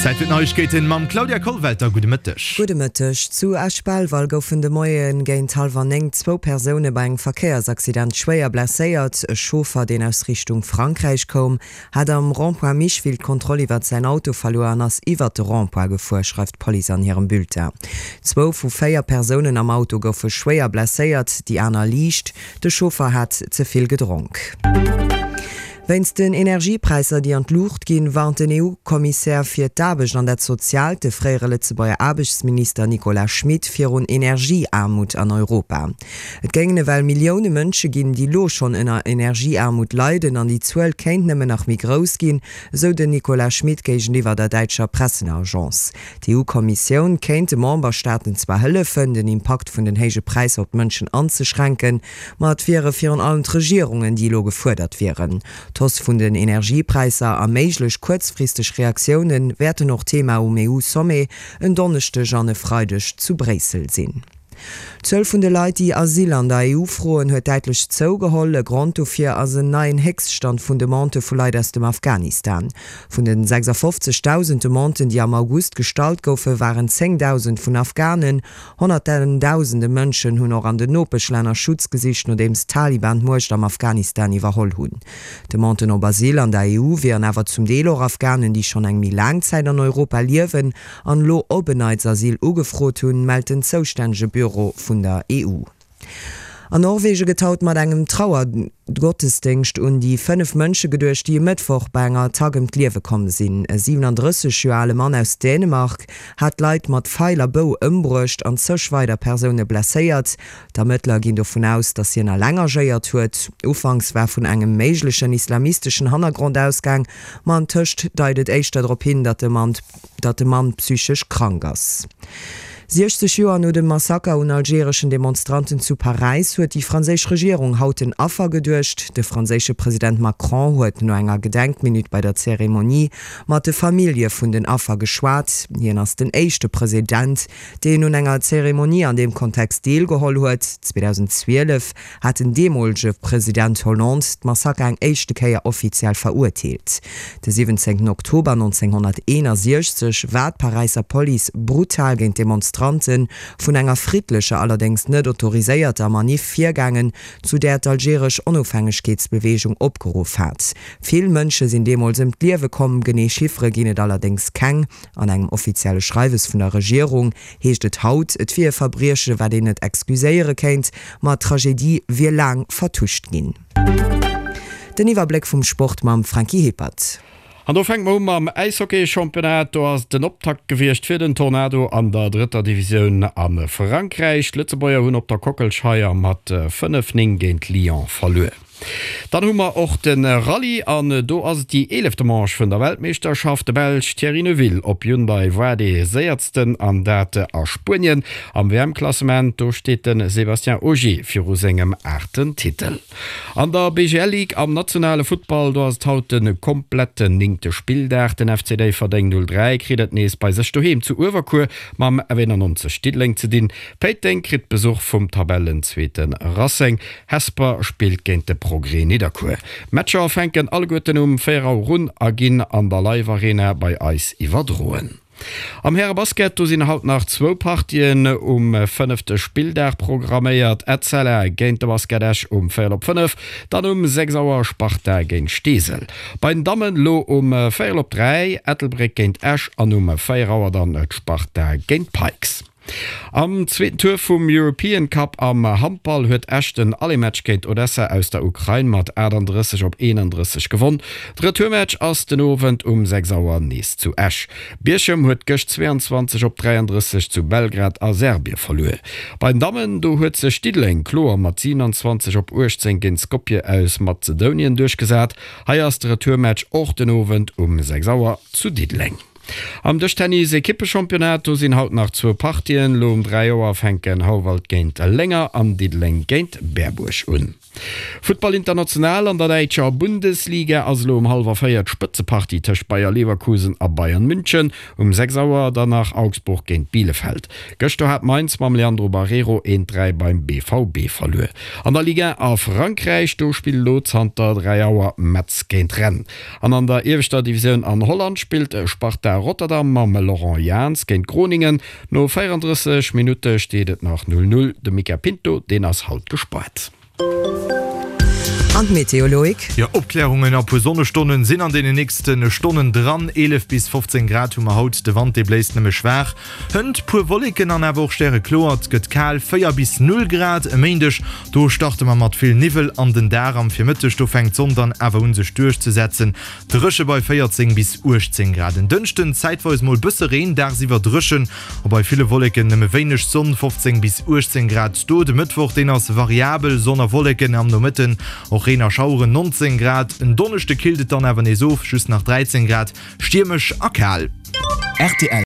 Zäit fir d'Neiegkeeten mam Claudia Kollwelter. Gudde Mëtteg. Gudde Mëtteg. Zu Esch-Belval goufen de Moie géint hallwer 9 zwou Persoune bei engem Verkéiersaccident schwéier blesséiert. E Chauffer, deen aus Richtung Frankräich koum, hat am Rond-point Micheville d'Kontroll iwwert säin Auto verluer an ass iwwert de Rond-point gefuer, schreift d'Police an hirem Bulletin. Zwou vu 4 Persounen am Auto goufe schwéier blesséiert, déi aner liicht. De Chauffer hat ze vill gedronk. Wéinst den Energiepräisser, déi an d'Luucht ginn, warnt den EU-Kommissär fir d'Aarbecht an dat Soziaalt, de fréiere Lëtzebuerger Aarbechtsminister Nicolas Schmit, virun Energieaarmut an Europa. Et géingen ewell Millioune Mënsche ginn, déi lo schonn ënner Energieaarmut leiden an déi Zuel kéint nëmmen nach méi grouss ginn, esou den Nicolas Schmit géigeniwwer der däitscher Presseagence. D'EU-Kommissioun kéint de Memberstaaten zwar hëllefen, den Impakt vun den héije Präisser op d'Mënschen anzeschränken, ma et wiere virun allem d'Regierungen, déi elo gefuerdert wieren. D'Hausse vun den Energiepräisser a méiglech kuerzfristeg Reaktioune wäerten och Thema um EU-Sommet en Donneschdeg an e Freideg zu Bréissel sinn. D'Zuel vun de Leit, déi Asyl an der EU froen, huet däitlech zougeholl. E Grond dofir ass en neien Héchststand vun Demandë vu Leit aus dem Afghanistan. Vun den 56.000 Demanden, déi am August gestallt goufen, waren 10.000 vun Afghanen. Honnertendausende Mënschen hunn och an den Nopeschlänner Schutz gesicht, nodeems d'Taliban d'Muecht am Afghanistan iwwerholl hunn. Demanden op Asyl an der EU wieren awer zum Deel och Afghanen, déi schonn eng méi laang Zäit an Europa liewen an elo op en Neits Asyl ugefrot hunn, mellt den zoustännege Büro vun der EU. An Norwegen gëtt haut mat engem Trauergottesdéngscht un déi 5 Mënsche geduecht, déi e Mëttwoch bei enger Attack ëm d'Liewe komm sinn. E 37 Joer ale Mann aus Dänemark hat Leit mat Feil a Bou ëmbruecht an zeg weider Persoune blesséiert. D'Ermëttler ginn dovun aus, datt hien eleng agéiert huet. Ufanks war vun engem méiglechen islamisteschen Hannergrond ausgaang, ma antëscht deit et éischter drop hin, datt de Mann datt de Mann psychesch krank ass. 60 Joer no dem Massaker un algereschen Demonstranten zu Paräis huet déi franséisch Regierung haut den Affer geduecht. De franséische President Macron huet no enger Gedenkminutt bei der Zeremonie mat de Famillje vun den Affer geschwat. Hien ass den éischte President, deen un enger Zeremonie an deem Kontext deelgeholl huet. 2012 hat den deemolege President Hollande d'Massaker eng éischte Kéier offiziell verurteelt. De 17 Oktober 1961 war d'Paräisser Police brutal géint d'Demonstrante vun enger friddlecher, allerdéngs net autoriséierter Maniff virgaangen, zu där d'algeresch Onofhängegkeetsbeweegung opgeruff hat. Vill Mënsche sinn deemools ëm d'Liewe komm, genee Chiffere ginn et allerdéngs keng. An engem offizielle Schreiwes vun der Regierung heescht et haut, et wier e Verbrieche wat een net excuséiere kéint, ma d'Tragedie wier laang vertuscht ginn. Den Iwwerbléck vum Sport mam Franky Hippert. An do fänke mer u mam Äishockey-Championnat. Do ass et den Optakt gewiescht fir den Tornado an der drëtter Divisioun a Frankräich. D'Lëtzebuerger hunn op der Kockelscheier mat 5, 9 géint Lyon verluer. Dann hu mer och de Rallye an do ass et déi eelefte Manche vun der Weltmeeschterschaft. De Belsch Thierry Neuville op Hyundai war dee séiertsten an dat a Spuenien. Am WM-Klassement do steet de Sébastien Ogier viru sengem aachten Titel. An der BGL Ligue am nationale Futtball do ass et haut de kompletten néngte Spilldag. Den FC Déifferdeng 03 kritt et nees bei sech doheem zu Uewerkuer mam F91 Diddeleng ze dinn. Péiteng kritt Besuch vum Tabellenzweete Racing. Hesper spillt géint de Progrès Nidderkuer. D'Matcher fänken alleguerten um 4 Auer un a ginn an der Live Arena bei eis iwwerdroen. Am Härebasket, do sinn haut nach zwou Partien um fënnefte Spilldag programméiert. Etzella géint de Basket Esch um véierel op 5, dann um 6 Auer Sparta géint Steesel. Bei den Dammen elo um véierel op 3 Ettelbréck géint Esch an um 4 Auer dann d'Sparta géint d'Pikes. Am zweeten Tour vum European Cup am Handball huet Esch den Aller-Match géint Odessa aus der Ukrain mat 38 op 31 gewonn. De Retourmatch ass den Owend um 6 Auer nees zu Esch. Bierchem huet gëscht 22 op 33 zu Belgrad a Serbie verluer. Bei den Dammen, do huet sech Diddeleng kloer mat 27 op 18 géint Skopje aus Mazedounien duerchgesat. Hei ass de Retourmatch och den Owend um 6 Auer zu Diddeleng. Am Dëschtennis-Ekippechampionnat, do sinn haut nach zwou Partien. Lo um 3 Auer fänken Houwald géint Lénger an Diddeleng géint Berbuerg un. Futtball international, An der däitscher Bundesliga ass elo um hallwer 4 d'Spëtzepartie tëscht Bayer Leverkusen a Bayern München. Um 6 Auer dann nach Augsburg géint Bielefeld. Gëschter hat Mainz mam Leandro Barreiro 1, 3 beim BVB verluer. An der Ligue 1 a Frankräich, do spillt elo zanter 3 Auer Metz géint Rennes. An an der ieweschter Divisioun an Holland spillt Sparta Rotterdam mam Laurent Jans géint Groningen. No 34 Minutte steet et nach 0, 0. De Mica Pinto, deen ass haut gespaart. An d'Meteo, Loïc? Jo, Opklärungen a puer Sonnestonnen sinn an deene nächste Stonnen dran. 11 bis 15 Grad hu mer haut, de Wand dee bléist nëmme schwaach. Hënt puer Wolleken an awer och stärekloer, et gëtt kal, 4 bis 0 Grad. E Méindeg, do starte mer mat vill Niwwel an den Dag. Am Virmëtteg, do fänkt d'Sonn dann awer un sech duerchzesetzen, dréche bei 14 bis 18 Grad. En Dënschden zäitweis mol bësse Reen, dagsiwwer dréchen a bei ville Wolleken nëmme wéineg Sonn, 15 bis 18 Grad do. De Mëttwoch, deen ass variabel, Sonn a Wolleken, am Nomëtten och Reen a Schaueren, 19 Grad. En Donneschde killt et dann awer nees of, just nach 13 Grad, stiermesch a kal. Rtl.